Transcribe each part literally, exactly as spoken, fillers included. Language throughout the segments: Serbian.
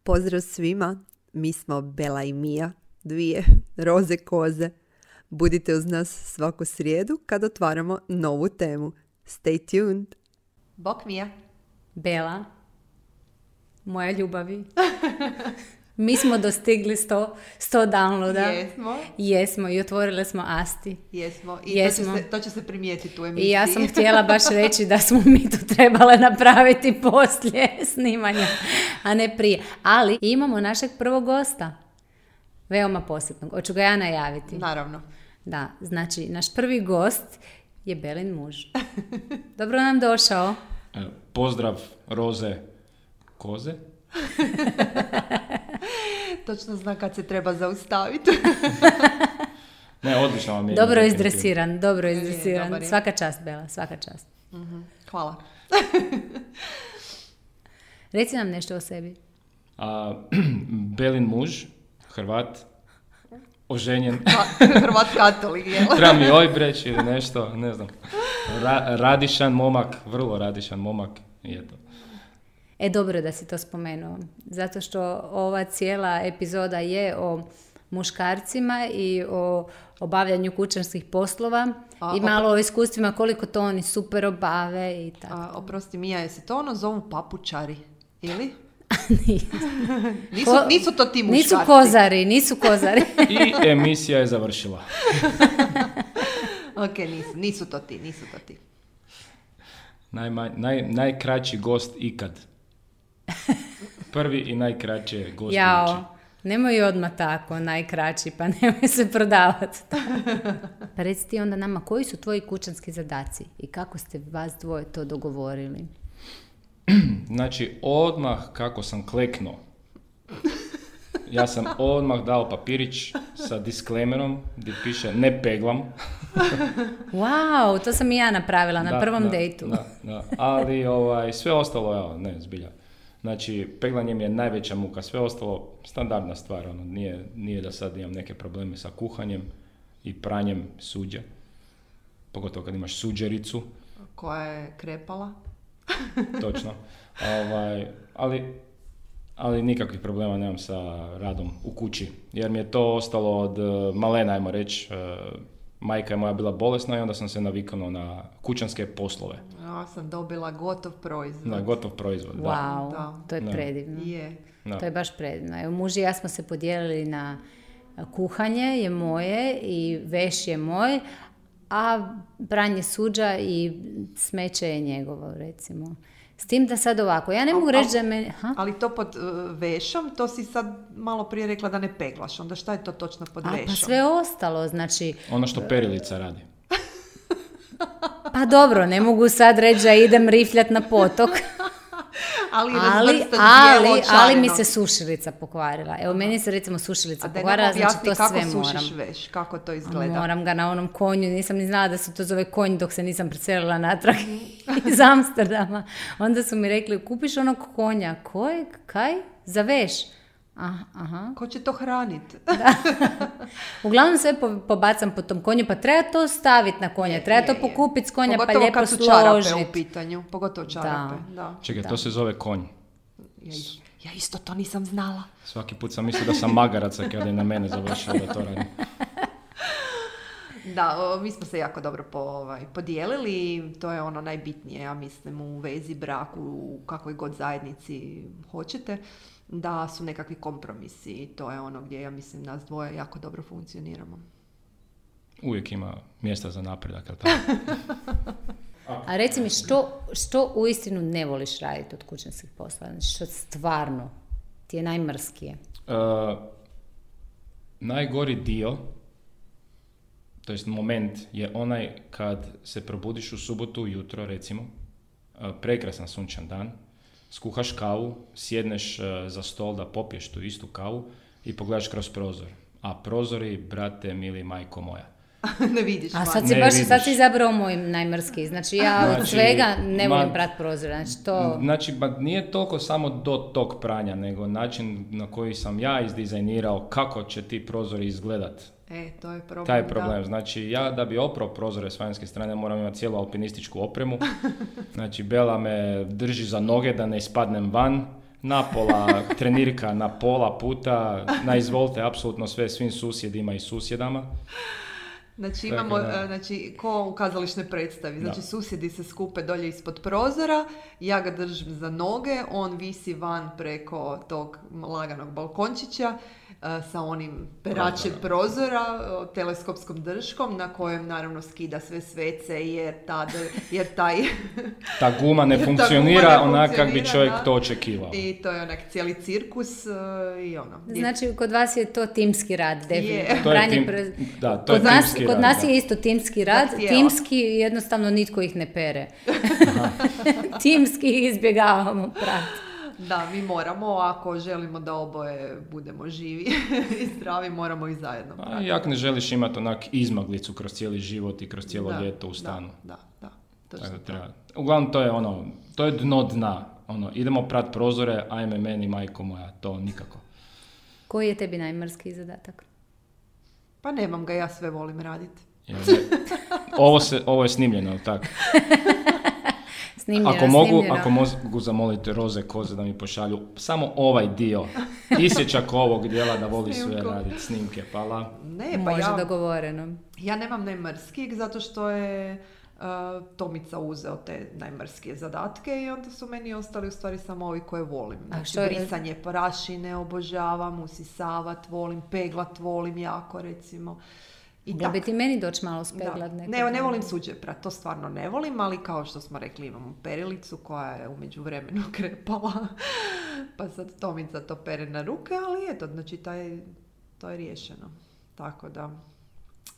Pozdrav svima, mi smo Bela i Mija, dvije roze koze. Budite uz nas svaku srijedu kad otvaramo novu temu. Stay tuned! Bok Mija. Bela, moja ljubavi. Mi smo dostigli sto, sto downloada. Jesmo. Jesmo i otvorile smo Asti. Jesmo. I Jesmo. To, će se, to će se primijetiti u emisiji. I ja sam htjela baš reći da smo mi to trebale napraviti poslije snimanja, a ne prije. Ali imamo našeg prvog gosta. Veoma posebnog. Hoću ga ja najaviti. Naravno. Da, znači naš prvi gost je Belin muž. Dobro nam došao. Pozdrav roze koze. Točno zna kad se treba zaustaviti. Ne, odlično vam je. Dobro izdresiran, dobro Je, izdresiran. dobar je. Svaka čast, Bela, svaka čast. Mm-hmm. Hvala. Reci nam nešto o sebi. A, Belin muž, Hrvat, oženjen. Hrvat katolik, jel? Treba mi ojb reći ili nešto, ne znam. Ra- radišan momak, vrlo radišan momak i eto. E, dobro da si to spomenuo, zato što ova cijela epizoda je o muškarcima i o obavljanju kućanskih poslova A, i malo o iskustvima koliko to oni super obave i tako. A, oprosti Mija, jesi to ono zovu papučari? Ili? nisu, Nisu, nisu to ti muškarci. nisu kozari, nisu kozari. I emisija je završila. Ok, nisu, nisu to ti, nisu to ti. Najma, naj, najkraći gost ikad. Prvi i najkraći je gost. Jao, nemoj odmah tako, najkraći, pa nemoj se prodavati. Pa reci ti onda nama, koji su tvoji kućanski zadaci i kako ste vas dvoje to dogovorili? Znači, odmah kako sam kleknuo, ja sam odmah dao papirić sa disclaimerom gdje piše ne peglam. Wow, to sam i ja napravila na Da, prvom da, dejtu. Da, da. Ali ovaj, sve ostalo, evo, ne, zbilja. Znači, peglanje mi je najveća muka, sve ostalo standardna stvar, ono, nije, nije da sad imam neke probleme sa kuhanjem i pranjem suđa. Pogotovo kad imaš suđericu. Koja je krepala? Točno. Ovaj, ali, ali nikakvih problema nemam sa radom u kući, jer mi je to ostalo od uh, malena, ajmo reći. Uh, majka je moja bila bolesna i onda sam se naviknuo na kućanske poslove. Ja sam dobila gotov proizvod. Na gotov proizvod, da. Wow, Da. to je Da. predivno. Je. Da. To je baš predivno. Evo, muž i ja smo se podijelili na kuhanje je moje i veš je moj, a pranje suđa i smeće je njegovo, recimo. S tim da sad ovako, ja ne mogu Al- reći al- da me... Ha? Ali to pod uh, vešom, to si sad malo prije rekla da ne peglaš. Onda šta je to točno pod A, vešom? pa sve ostalo, znači... Ono što perilica radi. Pa dobro, ne mogu sad reći da idem rifljat na potok, Ali, ali, razvrstan ali, bijelo ali mi čareno. se sušilica pokvarila. Evo, meni se recimo sušilica A daj nam pokvarila, znači objasni to kako sve sušiš moram. veš, kako to izgleda. Moram ga na onom konju, nisam ni znala da se to zove konj dok se nisam preselila natrag iz Amsterdama. Onda su mi rekli, kupiš onog konja, kojeg, kaj, za veš? Aha, aha. Ko će to hraniti? Uglavnom sve po- pobacam po tom konju, pa treba to staviti na konja, treba Je, to je. pokupiti s konja, pa Pogotovo lijepo kad su čarape u složiti. pitanju. Pogotovo čarape, da. Čekaj, Da. to se zove konj. Ja, ja isto to nisam znala. Svaki put sam mislio da sam magarac kada je na mene završio da to radim. Da, o, mi smo se jako dobro po, ovaj, podijelili i to je ono najbitnije, ja mislim, u vezi, braku, u kakvoj god zajednici hoćete, da su nekakvi kompromisi i to je ono gdje ja mislim nas dvoje jako dobro funkcioniramo. Uvijek ima mjesta za napredak, jel tako? A reci mi, što, što uistinu ne voliš raditi od kućanskih poslova? Znači, što stvarno ti je najmrskije? Uh, najgori dio, to jest moment, je onaj kad se probudiš u subotu ujutro, recimo, uh, prekrasan sunčan dan, skuhaš kavu, sjedneš uh, za stol da popiješ tu istu kavu i pogledaš kroz prozor. A prozori, brate, mili majko moja. Ne vidiš A van. sad si Ne baš, vidiš. sad si izabrao moj najmrskiji. Znači, ja od Znači, svega ne volim ma- prat prozora. Znači, to... Znači, ba, nije toliko samo do tog pranja, nego način na koji sam ja izdizajnirao kako će ti prozori izgledat. E, to je problem. Taj problem. Da. Znači, ja da bi oprao prozore s vanjske strane moram imati cijelu alpinističku opremu. Znači, Bela me drži za noge da ne ispadnem van. napola trenirka na pola puta, na izvolite apsolutno sve svim susjedima i susjedama. Znači imamo, Tako da. znači, ko u kazališnoj predstavi, znači Da. susjedi se skupe dolje ispod prozora, ja ga držim za noge, on visi van preko tog laganog balkončića e, sa onim peračem prozora, e, teleskopskom drškom na kojem naravno skida sve svece jer, tad, jer taj... Ta guma ne Jer ta funkcionira guma ne onak kak bi funkcionira, čovjek da. to očekivao. I to je onak cijeli cirkus e, i ono. I- Znači, kod vas je to timski rad, definitivno. To je Pranje tim- pre- da, to je kod nas, timski kod rad, nas da. je isto timski rad, Zahtijeva. timski jednostavno nitko ih ne pere. Timski ih izbjegavamo prati. Da, mi moramo, ako želimo da oboje budemo živi i zdravi, moramo ih zajedno A pratiti. jak ne želiš imati onak izmaglicu kroz cijeli život i kroz cijelo Da, ljeto u stanu. Da, da, da. Tako Točno da to. treba. Uglavnom to je ono, to je dno dna. Ono, idemo prat prozore, ajme meni majko moja, to nikako. Koji je tebi najmrskiji zadatak? Pa nemam ga, ja sve volim raditi. Jer je- ovo, se, ovo je snimljeno, jel tako? Snimljeno, Ako mogu, snimljeno. ako mogu zamoliti Roze Koze da mi pošalju samo ovaj dio, isječak ovog dijela da voli sve Snimku. raditi, snimke, pala. Ne, pa Može ja, dogovoreno. ja nemam najmrskijeg zato što je uh, Tomica uzeo te najmrskije zadatke i onda su meni ostali u stvari samo ovi koje volim. Znači, što je- brisanje prašine obožavam, usisavat volim, peglat volim jako recimo. I Mogla bi tak. ti meni doći malo Da. speglat nekog Ne, ne dana. volim suđe prat, to stvarno ne volim, ali kao što smo rekli imamo perilicu koja je u međuvremenu krepala, pa sad Tomica to pere na ruke, ali eto, znači taj, to je riješeno. Tako da,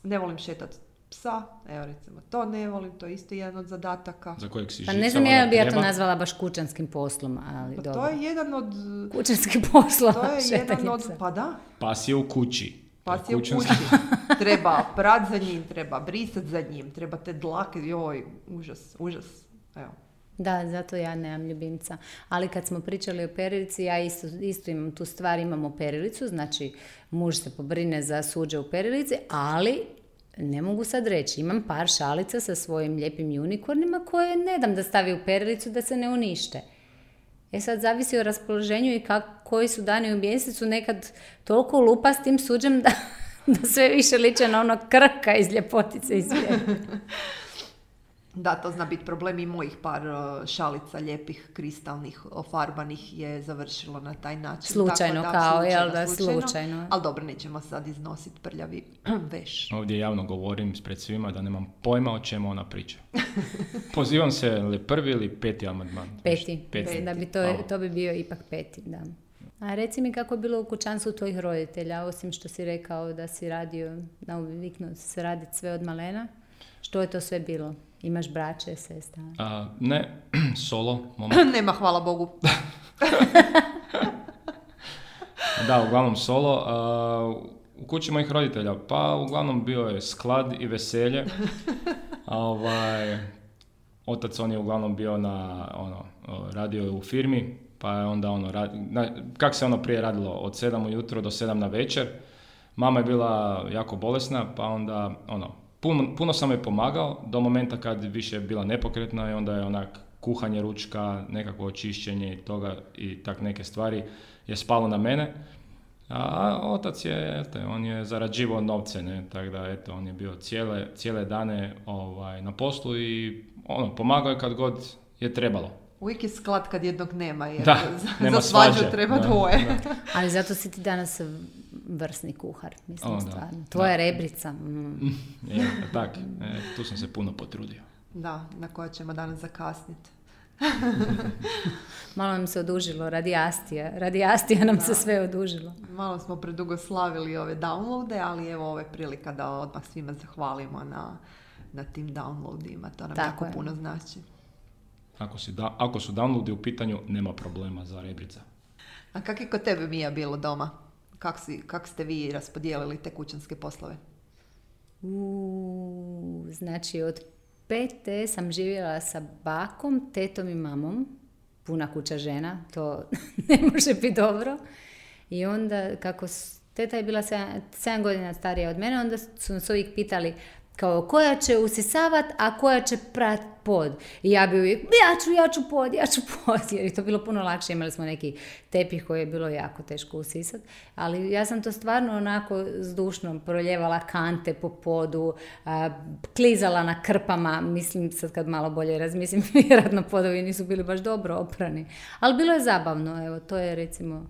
ne volim šetat psa, evo recimo to ne volim, to je isto jedan od zadataka. Za kojeg si Pa žicala ne znam ja da bi ja to treba. nazvala baš kućanskim poslom, ali Pa dobro. to je jedan od, Kućanski poslov, to je jedan šetanje od, psa. pa da, Pas je u kući. pas je u Kućanski- kući. Treba prat za njim, treba brisat za njim, treba te dlake, joj, užas, užas, evo. Da, zato ja nemam ljubimca. Ali kad smo pričali o perilici, ja isto, isto imam tu stvar, imamo perilicu, znači muž se pobrine za suđe u perilici, ali ne mogu sad reći, imam par šalica sa svojim lijepim unikornima koje ne dam da stavi u perilicu da se ne unište. E sad zavisi o raspoloženju i kak, koji su dani u mjesecu, nekad toliko lupa s tim suđem da, da sve više liče na ono krka iz ljepotice iz svijeta. Da, to zna biti problem i mojih par uh, šalica lijepih, kristalnih, ofarbanih je završilo na taj način. Slučajno Tako kao, slučajno, jel da, slučajno. Ali dobro, nećemo sad iznositi prljavi veš. Ovdje javno govorim pred svima da nemam pojma o čemu ona priča. Pozivam se li prvi ili peti amandman? Peti. Peti. Da bi to, A, to bi bio ipak peti, da. A reci mi kako je bilo u kućanstvu tvojih roditelja, osim što si rekao da si radio, naviknuo si se raditi sve od malena. Što je to sve bilo? Imaš braće, sestra? A, ne, solo, momak. Nema, hvala Bogu. Da, uglavnom solo. A, u kući mojih roditelja, pa uglavnom bio je sklad i veselje. A, ovaj, otac on je uglavnom bio na, ono, radio je u firmi, pa je onda ono, rad, na, kak se ono prije radilo, od sedam ujutro do sedam na večer. Mama je bila jako bolesna, pa onda, ono, puno, puno sam joj pomagao, do momenta kad više je bila nepokretna i onda je onak kuhanje ručka, nekakvo očišćenje i toga i tak neke stvari je spalo na mene. A otac je, eto, on je zarađivao novce, ne, tako da, eto, on je bio cijele, cijele dane ovaj, na poslu i ono, pomagao je kad god je trebalo. Uvijek je sklad kad jednog nema, jer Da, za, nema za svađu svađe, treba da, dvoje. da. Ali zato si ti danas vrsni kuhar, mislim, O, da. stvarno. Tvoja Da. rebrica. Mm. Je, tak, e, tu sam se puno potrudio. Da, na koja ćemo danas zakasniti. Malo nam se odužilo, radi Astija. Radi Astija nam se sve odužilo. Malo smo predugo slavili ove downloade, ali evo ovo je prilika da odmah svima zahvalimo na, na tim downloadima. To nam Tako jako je. puno znači. Ako, si da, ako su downloadi u pitanju, nema problema za rebrica. A kak je kod tebe, Mija, bilo doma? Kak, si, kak ste vi raspodijelili te kućanske poslove? U, znači, od pete sam živjela sa bakom, tetom i mamom. Puna kuća žena, to ne može biti dobro. I onda, kako s- teta je bila sedam, sedam godina starija od mene, onda su nas uvijek pitali Kao koja će usisavat, a koja će prat pod. I ja bi uvijek, ja ću, ja ću pod, ja ću pod. Jer je to bilo puno lakše. Imali smo neki tepih koji je bilo jako teško usisat. Ali ja sam to stvarno onako zdušno proljevala kante po podu, a, klizala na krpama. Mislim, sad kad malo bolje razmislim, vjerojatno podovi nisu bili baš dobro oprani. Ali bilo je zabavno. Evo, to je recimo,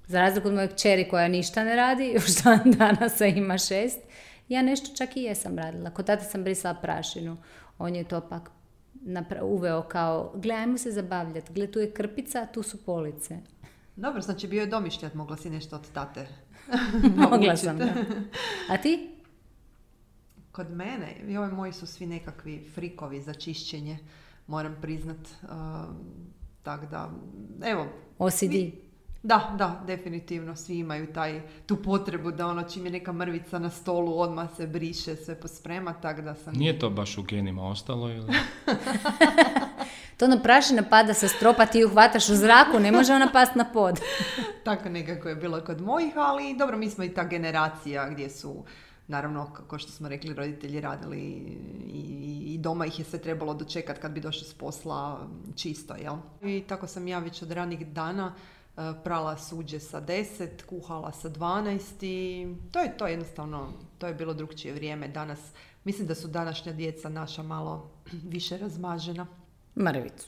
za razliku od moje kćeri koja ništa ne radi, još dan danas ima šest, ja nešto čak i jesam radila. Kod tata sam brisala prašinu. On je to pak napra- uveo kao, gle, ajmo se zabavljati. Gle, tu je krpica, tu su police. Dobro, znači bio je domišljat, mogla si nešto od tate. Mogla sam, da. A ti? Kod mene, i ovi moji su svi nekakvi frikovi za čišćenje, moram priznat. Uh, tak da, evo. O C D. Mi, Da, da, definitivno. Svi imaju taj, tu potrebu da ono čim je neka mrvica na stolu odmah se briše, sve posprema, tak da sam... Nije to baš u genima ostalo ili? To ono prašina pada sa stropa, ti ju hvataš u zraku, ne može ona past na pod. Tako nekako je bilo kod mojih, ali dobro, mi smo i ta generacija gdje su, naravno, kao što smo rekli, roditelji radili i, i doma ih je sve trebalo dočekati kad bi došli s posla čisto, jel? I tako sam ja već od ranih dana prala suđe sa deset, kuhala sa dvanaest i to je to jednostavno, to je bilo drukčije vrijeme. Danas, mislim da su današnja djeca naša malo više razmažena. Mrvicu.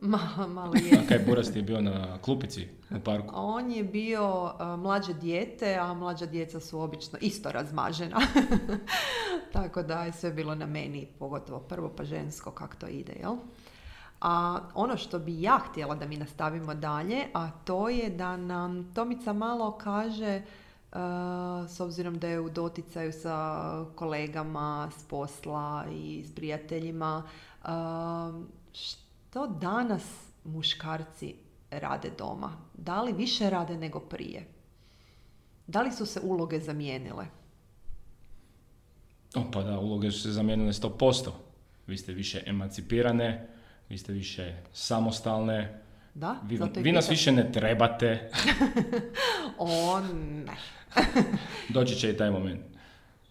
Ma, malo je. A kaj Buras ti je bio na klupici u parku? On je bio uh, mlađe dijete, a mlađa djeca su obično isto razmažena. Tako da je sve bilo na meni, pogotovo prvo pa žensko, kako to ide, jel? A ono što bi ja htjela da mi nastavimo dalje, a to je da nam Tomica malo kaže, uh, s obzirom da je u doticaju sa kolegama s posla i s prijateljima, uh, što danas muškarci rade doma? Da li više rade nego prije? Da li su se uloge zamijenile? O, pa da, uloge su se zamijenile sto posto. Vi ste više emancipirane, vi ste više samostalne, Da, vi, zato i vi nas pitam. više ne trebate. O, ne. Doći će i taj moment.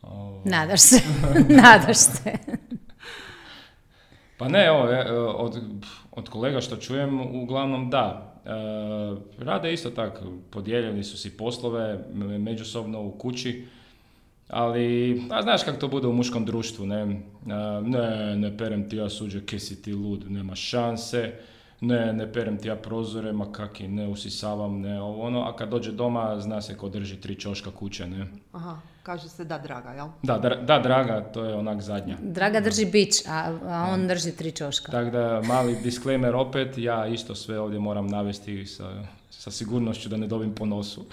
O, Nadaš se, nadaš se. Pa ne, evo, e, od, od kolega što čujem, uglavnom da. E, rade isto tako, podijeljeni su si poslove me- međusobno u kući, ali, a znaš kako to bude u muškom društvu, ne, E, ne, ne perem ti ja suđe, ke si ti lud, nema šanse, ne, ne perem ti ja prozore, ma kaki, ne usisavam, ne ovo ono, a kad dođe doma, zna se ko drži tri čoška kuće, ne. Aha, kaže se da, draga, jel? Da, dra- da, draga, to je onak zadnja. Draga drži bić, a, a on drži tri čoška. Tako da, mali disclaimer opet, ja isto sve ovdje moram navesti sa, sa sigurnošću da ne dobim po nosu.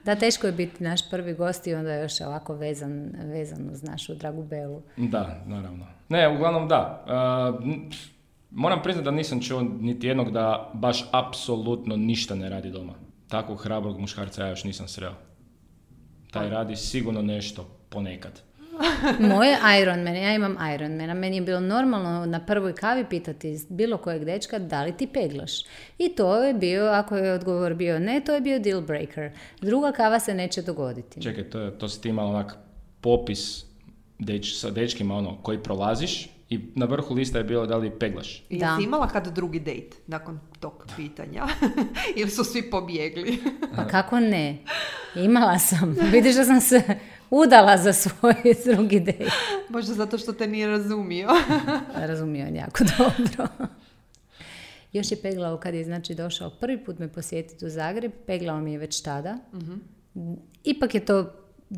Da, teško je biti naš prvi gost i onda je još ovako vezan, vezan uz našu dragu Belu. Da, naravno. Ne, uglavnom da. Uh, n- moram priznati da nisam čuo niti jednog da baš apsolutno ništa ne radi doma. Takvog hrabrog muškarca ja još nisam sreo. Taj radi sigurno nešto ponekad. Moje Ironman, ja imam Ironmana, meni je bilo normalno na prvoj kavi pitati bilo kojeg dečka da li ti peglaš. I to je bio, ako je odgovor bio ne, to je bio deal breaker. Druga kava se neće dogoditi. Čekaj, to, je, to si ti imala onak popis deč, sa dečkima ono, koji prolaziš i na vrhu lista je bilo da li peglaš. I Da. jesi imala kad drugi dejt nakon tog pitanja? Ili su svi pobjegli? Pa kako ne? Imala sam. Vidiš da sam se udala za svoj drugi dejt. Možda zato što te nije razumio. Razumio on jako dobro. Još je peglao kad je znači došao prvi put me posjetiti u Zagreb, peglao mi je već tada. Ipak je to,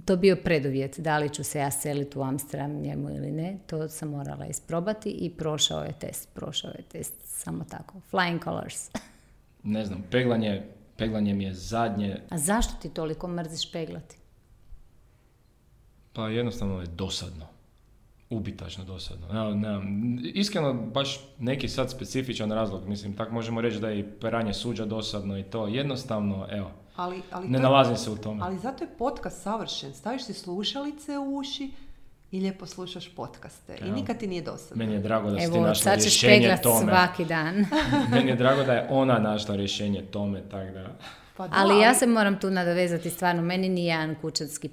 to bio preduvjet, da li ću se ja seliti u Amsterdam njemu ili ne, to sam morala isprobati i prošao je test, prošao je test, samo tako, flying colors. Ne znam, peglanje, peglanje mi je zadnje, A zašto ti toliko mrziš peglati? pa jednostavno je dosadno. Ubitačno dosadno. Ne, ne, iskreno, baš neki sad specifičan razlog, mislim, tako možemo reći da je i peranje suđa dosadno i to. Jednostavno, evo, Ali, ali ne to- nalazim se u tome. Ali zato je podcast savršen. Staviš si slušalice u uši i lijepo slušaš podcaste. I Evo. nikad ti nije dosadno. Meni je drago da si ti Evo, našla sad ćeš rješenje peglat tome. svaki dan. Meni je drago da je ona našla rješenje tome, tako da... Pa da, Ali ja se moram tu nadovezati stvarno, meni ni jedan kućanski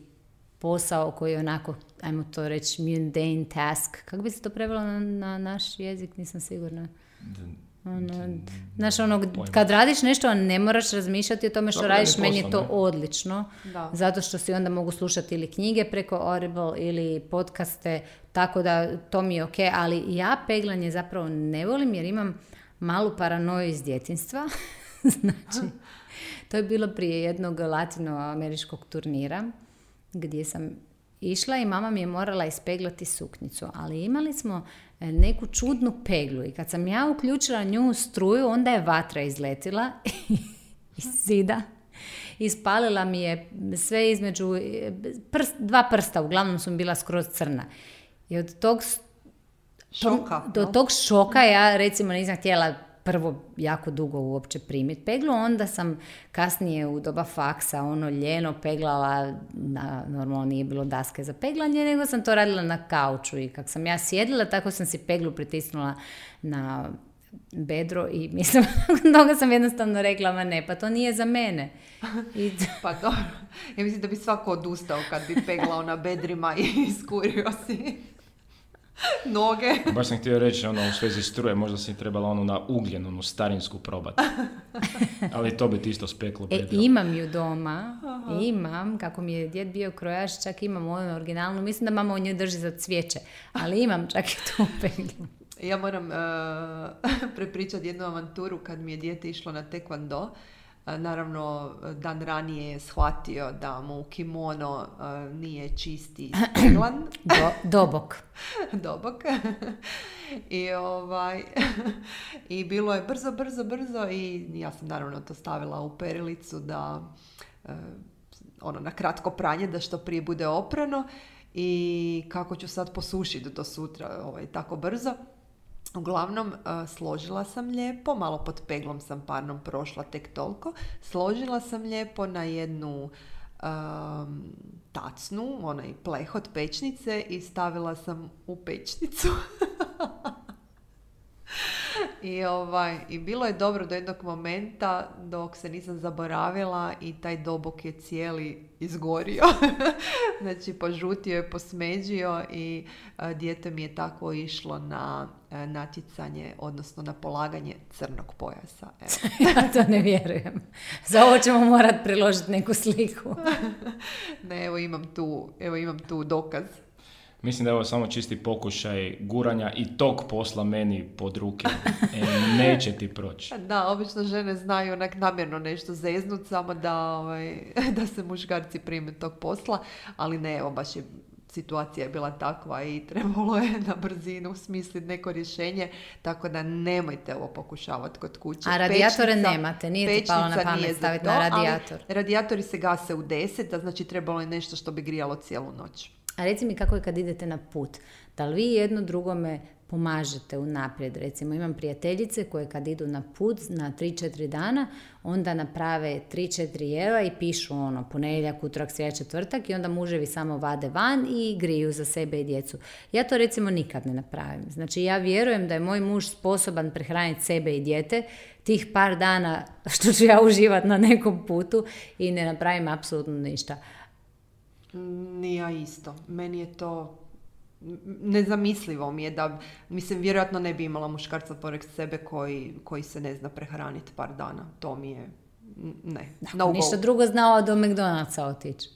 posao koji je onako, ajmo to reći, mundane task. Kako bi se to prevelo na, na naš jezik, nisam sigurna. Ono, znaš, ono, kad radiš nešto, ne moraš razmišljati o tome što Dobro, radiš, meni je to ne? odlično. Da. Zato što si onda mogu slušati ili knjige preko Audible ili podcaste, tako da to mi je ok, ali ja peglanje zapravo ne volim jer imam malu paranoju iz djetinjstva. Znači, to je bilo prije jednog latinoameričkog turnira gdje sam išla i mama mi je morala ispeglati suknjicu, ali imali smo neku čudnu peglu i kad sam ja uključila nju u struju, onda je vatra izletila iz zida. Ispalila mi je sve između prst, dva prsta, uglavnom su mi bila skroz crna. I od tog Šoka. Do no? tog šoka ja recimo nisam htjela prvo jako dugo uopće primiti peglu, onda sam kasnije u doba faksa ono ljeno peglala, na, normalno nije bilo daske za peglanje, nego sam to radila na kauču i kako sam ja sjedila, tako sam si peglu pritisnula na bedro i mislim, nakon toga sam jednostavno rekla, ma ne, pa to nije za mene. I Pa dobro, ja mislim da bi svako odustao kad bi peglao na bedrima i iskurio si noge. Baš sam htio reći, ono, u svezi struje, možda si trebala onu na ugljen, onu starinsku probati. Ali to bi ti isto speklo E, predilo. imam ju doma, Aha. imam, kako mi je djed bio krojač, čak imam onu originalnu, mislim da mama u njoj drži za cvijeće, ali imam čak i tu peglu. Ja moram uh, prepričati jednu avanturu kad mi je dijete išlo na tekvando. Uh, naravno, dan ranije je shvatio da mu kimono uh, nije čisti i speglan. Do, dobok. Dobok. I, ovaj, I bilo je brzo, brzo, brzo i ja sam naravno to stavila u perilicu da uh, ono, na kratko pranje da što prije bude oprano i kako ću sad posušiti do sutra ovaj, tako brzo. Uglavnom, uh, složila sam lijepo, malo pod peglom sam parnom prošla tek toliko, složila sam lijepo na jednu um, tacnu, onaj pleh od pečnice i stavila sam u pečnicu. I, ovaj, I bilo je dobro do jednog momenta dok se nisam zaboravila i taj dobok je cijeli izgorio. Znači požutio je, posmeđio i a, dijete mi je tako išlo na a, natjecanje, odnosno na polaganje crnog pojasa. Evo. Ja to ne vjerujem. Za ovo ćemo morati priložiti neku sliku. Ne, evo imam tu, evo imam tu dokaz. Mislim da je ovo samo čisti pokušaj guranja i tog posla meni pod ruke. E, neće ti proći. Da, obično žene znaju onak namjerno nešto zeznut, samo da, ovaj, da se muškarci prime tog posla, ali ne, evo baš je situacija je bila takva i trebalo je na brzinu smisliti neko rješenje, tako da nemojte ovo pokušavati kod kuće. A radijatore Pečnica, nemate, nije ti palo na pamet staviti to, na radijator. Radijatori se gase u deset, a znači trebalo je nešto što bi grijalo cijelu noć. A reci mi kako je kad idete na put? Da li vi jedno drugome pomažete unaprijed? Recimo imam prijateljice koje kad idu na put na tri četiri dana, onda naprave tri četiri jela i pišu ono ponedjeljak, utorak, srijeda, četvrtak i onda muževi samo vade van i griju za sebe i djecu. Ja to recimo nikad ne napravim. Znači ja vjerujem da je moj muž sposoban prehraniti sebe i dijete tih par dana što ću ja uživati na nekom putu i ne napravim apsolutno ništa. Ni ja isto. Meni je to nezamislivo mi je da, mislim, vjerojatno ne bi imala muškarca pored sebe koji, koji se ne zna prehraniti par dana. To mi je, ne. No ništa drugo znao do McDonald'sa otići.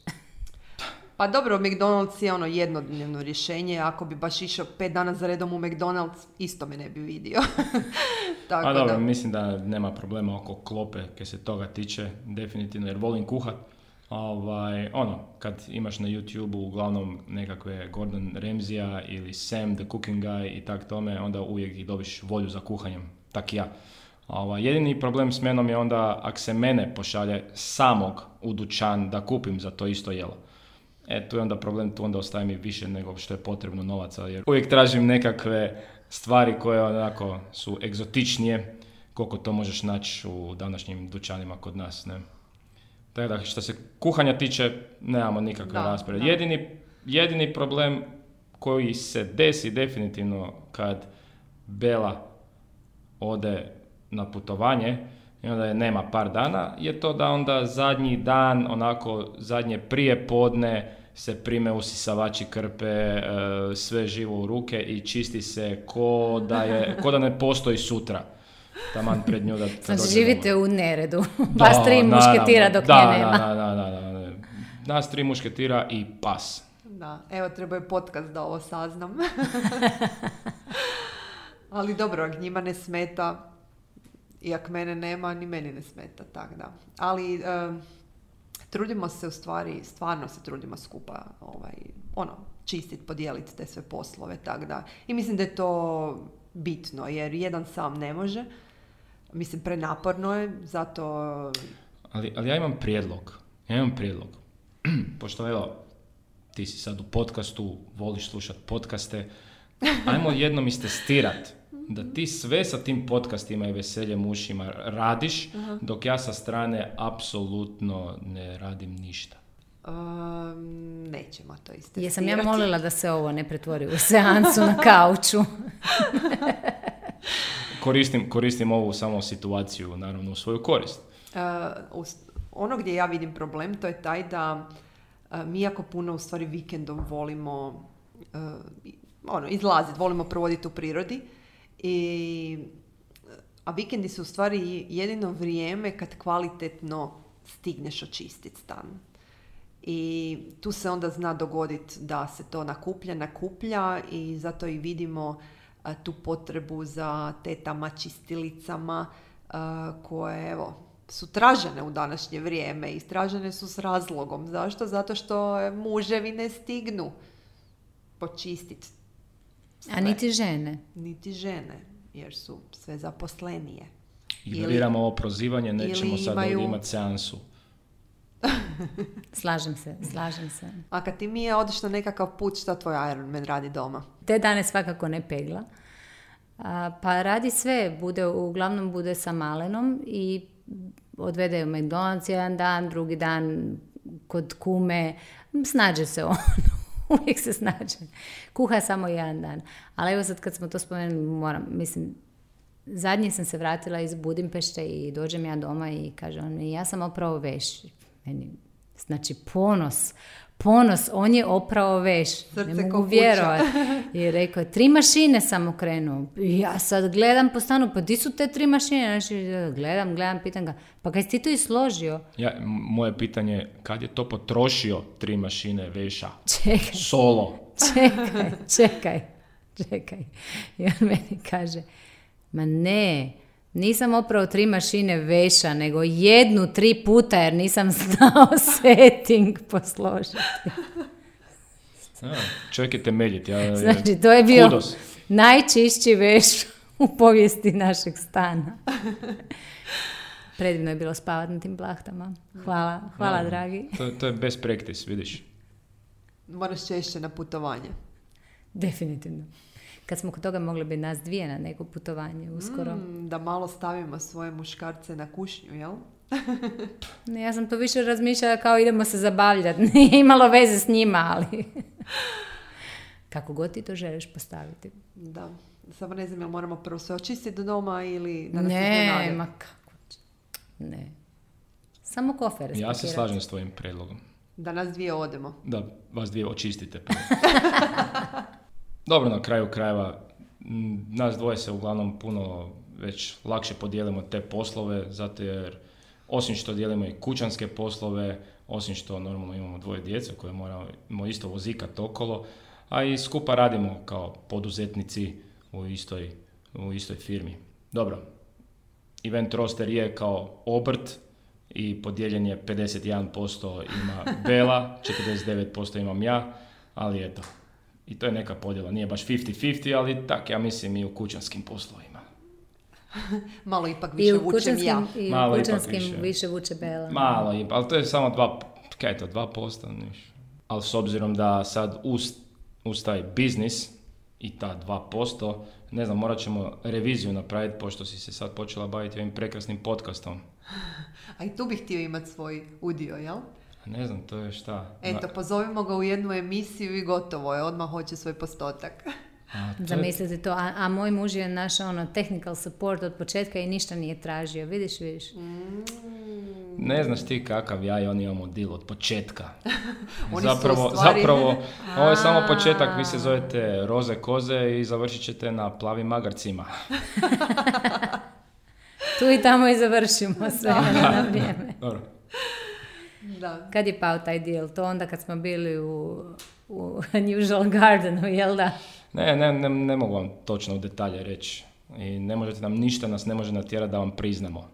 Pa dobro, McDonald's je ono jednodnevno rješenje. Ako bi baš išao pet dana za redom u McDonald's, isto me ne bi vidio. Tako A dobro, da. mislim da nema problema oko klope kad se toga tiče, definitivno, jer volim kuhat. Ovaj, ono, kad imaš na YouTube-u uglavnom nekakve Gordon Ramsaya ili Sam the Cooking Guy i tak tome, onda uvijek i dobiš volju za kuhanjem, tak i ja. Ovaj, jedini problem s menom je onda ako se mene pošalje samog u dućan da kupim za to isto jelo. E, tu je onda problem, tu onda ostaje mi više nego što je potrebno novaca, jer uvijek tražim nekakve stvari koje onako su egzotičnije, koliko to možeš naći u današnjim dućanima kod nas, ne? Tako da, što se kuhanja tiče, nemamo nikakve Da, rasprave. da. Jedini, jedini problem koji se desi definitivno kad Bela ode na putovanje i onda je nema par dana, je to da onda zadnji dan, onako zadnje prije podne, se prime usisavači krpe, e, sve živo u ruke i čisti se ko da, je, ko da ne postoji sutra. Taman pred nju da... Znači živite u neredu. Vas tri da, mušketira dok da, nje nema. Da, da, da, da, da. Nas tri mušketira i pas. Da, evo treba je podcast da ovo saznam. Ali dobro, ak njima ne smeta, i ak mene nema, ni meni ne smeta, tak da. Ali e, trudimo se u stvari, stvarno se trudimo skupa, ovaj, ono, čistiti, podijeliti te sve poslove, tak da. I mislim da je to bitno, jer jedan sam ne može. Mislim, prenaporno je, zato... Ali, ali ja imam prijedlog. Ja imam prijedlog. Pošto, evo, ti si sad u podcastu, voliš slušati podcaste, ajmo jednom istestirati da ti sve sa tim podcastima i veseljem ušima radiš, uh-huh. dok ja sa strane apsolutno ne radim ništa. Um, nećemo to istestirati. Jesam ja molila da se ovo ne pretvori u seansu na kauču. koristim, koristim ovu samo situaciju, naravno, u svoju korist. Uh, ono gdje ja vidim problem, to je taj da uh, mi jako puno u stvari vikendom volimo uh, ono, izlaziti, volimo provoditi u prirodi. I, a vikendi su u stvari jedino vrijeme kad kvalitetno stigneš očistiti stan. I tu se onda zna dogoditi da se to nakuplja, nakuplja i zato i vidimo a, tu potrebu za tetama, čistilicama a, koje evo, su tražene u današnje vrijeme i tražene su s razlogom. Zašto? Zato što muževi ne stignu počistiti. Sve. A niti žene. Niti žene, jer su sve zaposlenije. Ignoriramo ovo prozivanje, nećemo sad imaju... ovdje imati seansu. Slažem se, slažem se. A kad ti mi je odiš na nekakav put, šta tvoj Ironman radi doma? Te dane svakako ne pegla. A, pa radi sve, bude, uglavnom bude sa malenom i odvede u McDonald's jedan dan, drugi dan kod kume, snađe se on. Uvijek se snađe. Kuha samo jedan dan. Ali evo sad kad smo to spomenuli, moram, mislim, zadnji sam se vratila iz Budimpešte i dođem ja doma i kaže on, ja sam oprao veš. Meni, znači ponos, ponos, on je oprao veš. Srce ne mogu vjerovati. I rekao, tri mašine sam okrenuo. I ja sad gledam po stanu, pa di su te tri mašine? Znači, gledam, gledam, pitam ga, pa kaj si ti to i složio? Ja, moje pitanje je, kad je to potrošio tri mašine veša? Čekaj. Solo. Čekaj, čekaj, čekaj. I on meni kaže, ma ne, nisam oprao tri mašine veša, nego jednu tri puta, jer nisam znao setting posložiti. Ja, čovjek je temeljit. Ja, znači, to je bio kudos. Najčišći veš u povijesti našeg stana. Predivno je bilo spavati na tim plahtama. Hvala, hvala ja, dragi. To, to je best practice, vidiš. Moraš češće na putovanje. Definitivno. Kad smo kod toga mogli bi nas dvije na neko putovanje uskoro. Mm, da malo stavimo svoje muškarce na kušnju, jel? Ne, ja sam to više razmišljala kao idemo se zabavljati. Nije imalo veze s njima, ali... Kako god ti to želiš postaviti. Da. Samo ne znam, jel moramo prvo sve očistiti do doma ili da nas ne, iznenade? ma kako? Ne. Samo kofere Ja se spakirati. slažem s tvojim predlogom. Da nas dvije odemo. Da, vas dvije očistite. Dobro, na kraju krajeva, nas dvoje se uglavnom puno već lakše podijelimo te poslove, zato jer osim što dijelimo i kućanske poslove, osim što normalno imamo dvoje djece koje moramo isto vozikati okolo, a i skupa radimo kao poduzetnici u istoj, u istoj firmi. Dobro, Event Roster je kao obrt i podijeljen je pedeset jedan posto ima Bela, četrdeset devet posto imam ja, ali eto. I to je neka podjela, nije baš pedeset pedeset, ali tak, ja mislim i u kućanskim poslovima. Malo ipak više vučem ja. I u Malo kućanskim više. više vuče Bela. Malo, ali to je samo dva, kaj je to, dva posto, niš. Ali s obzirom da sad uz, uz taj biznis i ta dva posto, ne znam, morat ćemo reviziju napraviti, pošto si se sad počela baviti ovim prekrasnim podcastom. A i tu bih htio imati svoj udio, jel? Ne znam, to je šta? Eto, pozovimo ga u jednu emisiju i gotovo je, odmah hoće svoj postotak. A, to Zamislite to, a, a moj muž je naš ono, technical support od početka i ništa nije tražio, vidiš, vidiš. Mm. Ne znaš ti kakav ja i on imamo deal od početka. Oni su zapravo, u stvari- zapravo, ovo je samo početak, vi se zovete roze koze i završit ćete na plavim magarcima. Tu i tamo i završimo sve na vrijeme. Dobro. Da. Kad je pao taj deal? To onda kad smo bili u, u Unusual Gardenu, jel da? Ne, ne, ne, ne mogu vam točno u detalje reći. I ne možete nam ništa, nas ne može natjerati da vam priznamo.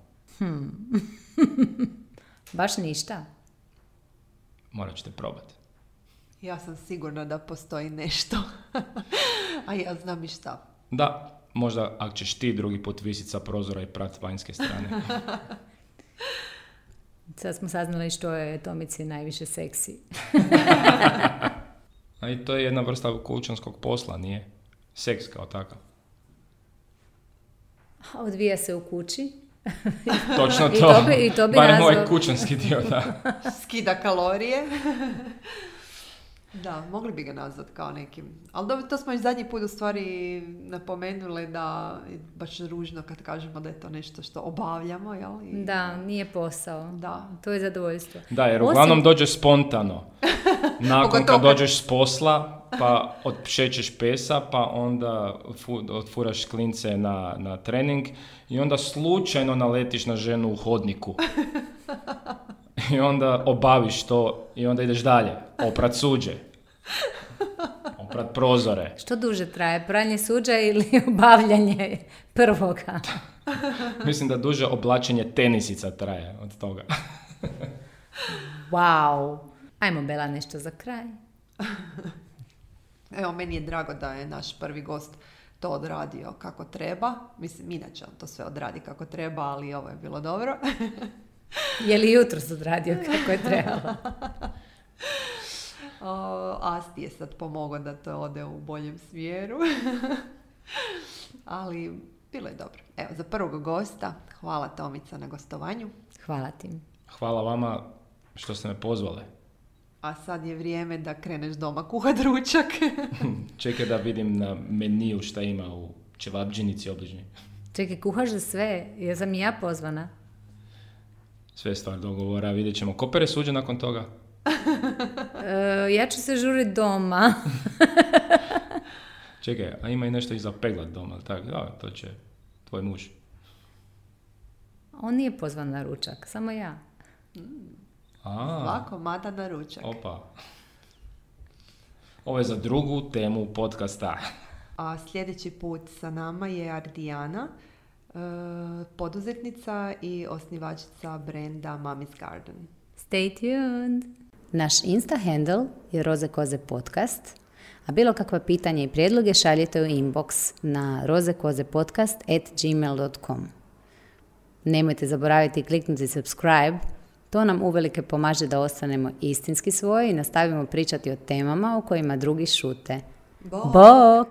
Baš ništa. Morat ćete probati. Ja sam sigurna da postoji nešto. A ja znam i šta. Da, možda ako ćeš ti drugi put visit sa prozora i prat vanjske strane. Sad smo saznali što je Tomici najviše seksi. A i to je jedna vrsta kućanskog posla, nije? Seks kao takav. A odvija se u kući. Točno I to. to bi- i to bi Barem nazvao- ovaj kućanski dio, da. Skida kalorije. Da, mogli bi ga nazvat kao nekim. Ali dobro, to smo i zadnji put u stvari napomenuli da je baš ružno kad kažemo da je to nešto što obavljamo, jel? I- Da, nije posao. Da. To je zadovoljstvo. Da, jer Osim- uglavnom dođe spontano. Nakon Pogotovo kad kad- dođeš s posla, pa odšećeš pesa, pa onda fu, otfuraš klince na, na trening i onda slučajno naletiš na ženu u hodniku. I onda obaviš to i onda ideš dalje. Oprat suđe. Oprat prozore. Što duže traje? Pranje suđa ili obavljanje prvoga? Mislim da duže oblačenje tenisica traje od toga. Wow. Ajmo, Bela, nešto za kraj. Evo, meni je drago da je naš prvi gost to odradio kako treba. Mislim, inače on to sve odradi kako treba, ali ovo je bilo dobro. Je li jutros odradio kako je trebalo? O, Asti je sad pomogao da to ode u boljem smjeru. Ali bilo je dobro. Evo, za prvog gosta, hvala Tomica na gostovanju. Hvala ti. Hvala vama što ste me pozvale. A sad je vrijeme da kreneš doma kuhat ručak. Čekaj da vidim na meniju šta ima u ćevabdžinici obližnji. Čekaj, kuhaš za sve? Jesam i ja pozvana? Sve je stvar dogovora, vidjet ćemo. Ko pere suđe nakon toga? E, ja ću se žuriti doma. Čekaj, a ima i nešto i za peglat doma, ali tako? Da, to će tvoj muž. On nije pozvan na ručak, samo ja. A, Svako mada na ručak. opa. Ovo je za drugu temu podcasta. A sljedeći put sa nama je Ardijana, e, poduzetnica i osnivačica brenda Mommy's Garden. Stay tuned! Naš Insta handle je Roze Koze podcast, a bilo kakva pitanja i prijedloge šaljite u inbox na rozekozepodcast at gmail dot com. Nemojte zaboraviti kliknuti subscribe, to nam uvelike pomaže da ostanemo istinski svoji i nastavimo pričati o temama o kojima drugi šute. Bok! Bok!